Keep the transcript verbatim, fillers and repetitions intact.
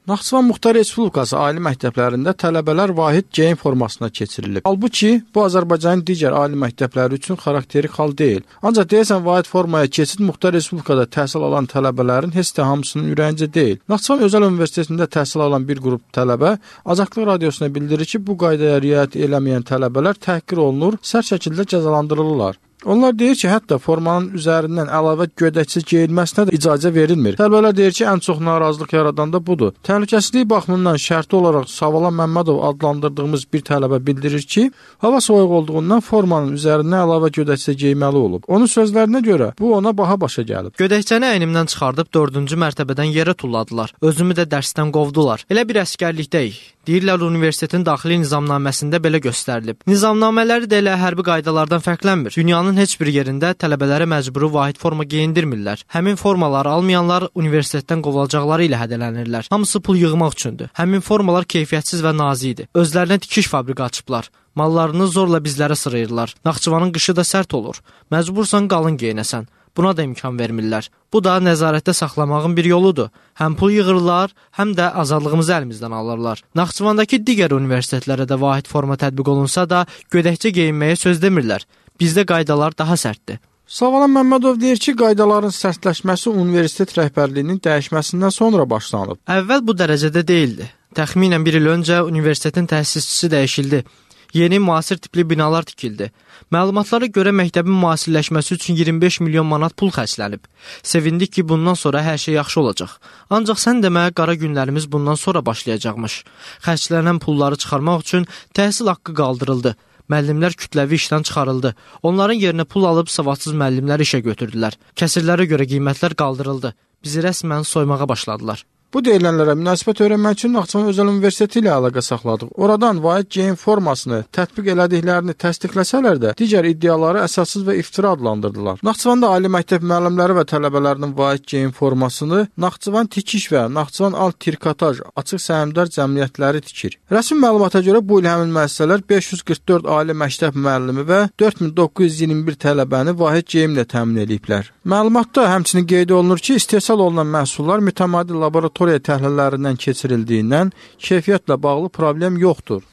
Naxçıvan Muxtar Respublikası ali məktəblərində tələbələr vahid geyim formasına keçirilib. Halbuki, bu Azərbaycanın digər ali məktəbləri üçün xarakterik hal deyil. Ancaq deyəsən vahid formaya keçid Muxtar Respublikada təhsil alan tələbələrin heç də hamısının ürəyincə deyil. Naxçıvan Özəl Universitetində təhsil alan bir qrup tələbə Azadlıq Radiosuna bildirir ki, bu qaydaya riayət eləməyən tələbələr təhqir olunur, sərt şəkildə cəzalandırılırlar. Onlar deyir ki, hətta formanın üzərindən əlavə gödəkçə geyilməsinə də icazə verilmir. Tələbələr deyir ki, ən çox narazılıq yaradan da budur. Təhlükəsizlik baxımından şərti olaraq Savalan Məmmədov adlandırdığımız bir tələbə bildirir ki, hava soyuq olduğundan formanın üzərindən əlavə gödəkçə geyməli olub. Onun sözlərinə görə bu ona baha başa gəlib. Gödəkçəni əynimdən çıxardıb dördüncü mərtəbədən yerə tulladılar. Özümü də dərsdən qovdular. Elə bir əskərlikdəyik. Deyirlər, universitetin daxili nizamnaməsində belə göstərilib. Nizamnamələri də elə hərbi qaydalardan fərqlənmir. Dünyanın heç bir yerində tələbələrə məcburi vahid forma geyindirmirlər. Həmin formaları almayanlar universitetdən qovulacaqları ilə hədələnirlər. Hamısı pul yığmaq üçündür. Həmin formalar keyfiyyətsiz və nazik idi. Özlərinə tikiş fabriki açıblar. Mallarını zorla bizlərə sırayırlar. Naxçıvanın qışı da sərt olur. Məcbursan qalın geyinəsən. Buna da imkan vermirlər. Bu da nəzarətdə saxlamağın bir yoludur. Həm pul yığırlar, həm də azadlığımızı əlimizdən alırlar. Naxçıvandakı digər universitetlərə də vahid forma tətbiq olunsa da, gödəkçə geyinməyə söz demirlər. Bizdə qaydalar daha sərtdir. Savalan Məmmədov deyir ki, qaydaların sərtləşməsi universitet rəhbərliyinin dəyişməsindən sonra başlanıb. Əvvəl bu dərəcədə deyildi. Təxminən bir il öncə universitetin təsisçisi dəyişildi. Yeni müasir tipli binalar tikildi. Məlumatlara görə məktəbin müasirləşməsi üçün iyirmi beş milyon manat pul xərclənib. Sevindik ki, bundan sonra hər şey yaxşı olacaq. Ancaq sən demə, qara günlərimiz bundan sonra başlayacaqmış. Xərclənən pulları çıxarmaq üçün təhsil haqqı qaldırıldı. Müəllimlər kütləvi işdən çıxarıldı. Onların yerinə pul alıb savadsız müəllimlər işə götürdülər. Kəsirlərə görə qiymətlər qaldırıldı. Bizi rəsmən soymağa başladılar. Bu deyilənlərə münasibət öyrənmək üçün Naxçıvan Özəl Universiteti ilə əlaqə saxladıq. Oradan vahid geyim formasını tətbiq elədiklərini təsdiqləsələr də, digər iddiaları əsassız və iftira adlandırdılar. Naxçıvanda ali məktəb müəllimləri və tələbələrinin vahid geyim formasını Naxçıvan Tikiş və Naxçıvan Alt Trikotaj açıq səhmdar cəmiyyətləri tikir. Rəsmi məlumata görə bu il həmin müəssisələr beş yüz qırx dörd ali məktəb müəllimi və dörd min doqquz yüz iyirmi bir tələbəni vahid geyimlə təmin ediblər. Məlumatda həmçinin qeyd olunur ki, istehsal olunan məhsullar mütəmadi laboratoriya təhlillərindən keçirildiyindən keyfiyyətlə bağlı problem yoxdur.